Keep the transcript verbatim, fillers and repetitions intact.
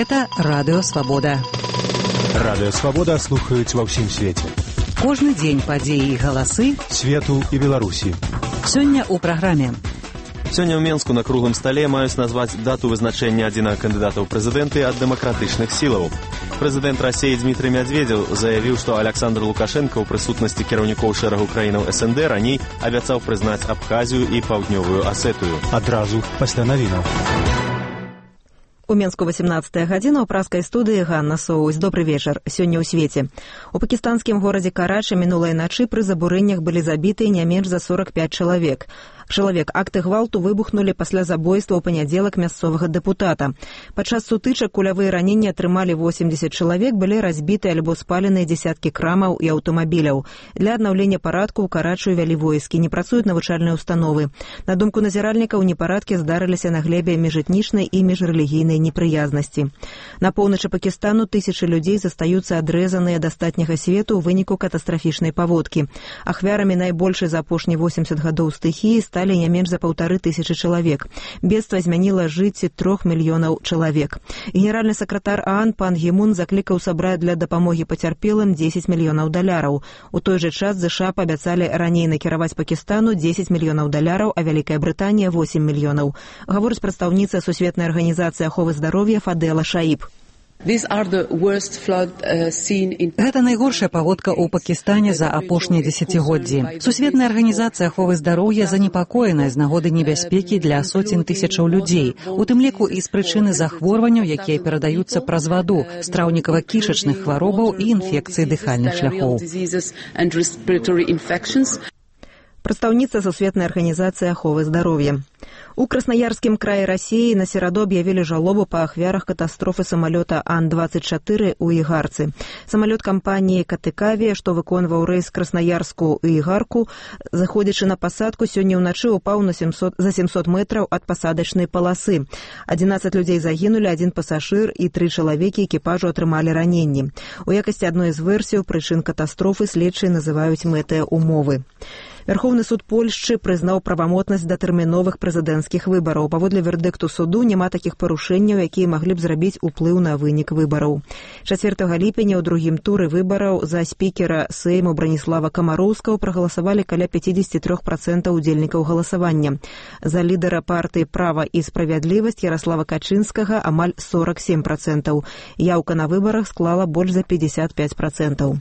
Гэта Радыё Свабода. Радыё Свабода слухаюць ва ўсім свеце. Кожны дзень падзеі і галасы свету і Беларусі. Сёння ў праграме. Сёння ў Менску на круглым стале маюць назваць дату вызначэння адзінага кандыдата ў прэзідэнты ад дэмакратычных сілаў. Прэзідэнт Расіі Дмітрый Медведзеў заявіў, што Александр Лукашенко ў прысутнасці кіраўнікоў шэрагу краінаў эс эн дэ раней абяцаў прызнаць Абхазію і Паўднёвую Асетыю. Адразу пасля навінаў. У Менску восемнадцатая гадзіна, у праскай студыі Ганна Соусь. Добры вечар. Сёння ў свеце. У пакістанскім горадзе Карачы мінулай начы пры забурэннях былі забіты не менш за сорок пяць чалавек. Чалавек акты гвалту выбухнулі пасля забойства ў панядзелак мясцовага дэпутата. Падчас сутычак кулявыя раненні атрымалі восемьдесят чалавек, былі разбіты альбо спаленыя дзесяткі крамаў і аўтамабіляў. Для аднаўлення парадку ў Карачу вялі войскі, не працуюць навучальныя установы. На думку назіральнікаў, непарадкі здарыліся на глебе міжэтнічнай і міжрэлігійнай непрыязнасці. На поўначы Пакістану тысячы людзей застаюцца адрэзаныя ад астатняга свету ў выніку катастрафічнай паводкі. Ахвярамі найбольшай за апошнія восемьдесят гадоў стыхіі сталі не менш за паўтары тысячы чалавек. Бедства змяніла жыцці трох мільёнаў чалавек. Генеральны сакратар ААН пан Гімун заклікаў сабраць для дапамогі пацярпелым дзесяць мільёнаў даляраў. У той жа час ЗША паабяцалі раней накіраваць Пакістану дзесяць мільёнаў даляраў, а Вялікая Брытанія восемь мільёнаў. Гаворыць прадстаўніца Сусветнай арганізацыі аховы здароўя Фадела Шаіб. Гэта найгоршая паводка ў Пакістане за апошнія дзесяцігоддзі. Сусветная арганізацыя аховы здароўя занепакоеная з нагоды небяспекі для соцень тысячаў людзей, у тым ліку і з прычыны захворванняў, якія перадаюцца праз ваду, страўнікава-кішачных хваробаў і інфекцыі дыхальных шляхоў. Прадстаўніца Сусветнай арганізацыі аховы здароўя. У Краснаярскім краі Расіі на сераду аб'явілі жалобу па ахвярах катастрофы самалёта Ан двадцать чатыры ў Ігарцы. Самалёт кампаніі «Катыкавія», што выконваў рэйс Краснаярску і Ігарку, заходзячы на пасадку, сёння ўначы упаў на семьсот, за семьсот метраў ад пасадачнай паласы. адзінаццаць людзей загінулі, адзін пасажыр і тры чалавекі экіпажу атрымалі раненні. У якасці адной з версій прычын катастрофы следчыя называюць мэтыя умовы. Верховны суд Польшчы прызнаў правамотнасць датэрміновых прэзідэнцкіх выбараў. Паводле вердыкту суду няма такіх парушэнняў, якія маглі б зрабіць уплыў на вынік выбараў. чацвёртага ліпеня ў другім туры выбараў за спікера Сейму Браніслава Камароўскага прагаласавалі каля пятьдесят три процента удзельнікаў галасавання. За лідара партыі «Права і справядлівасць» Ярослава Качынскага амаль сорок семь процентаў. Яўка на выбарах склала больш за пятьдесят пять процентаў.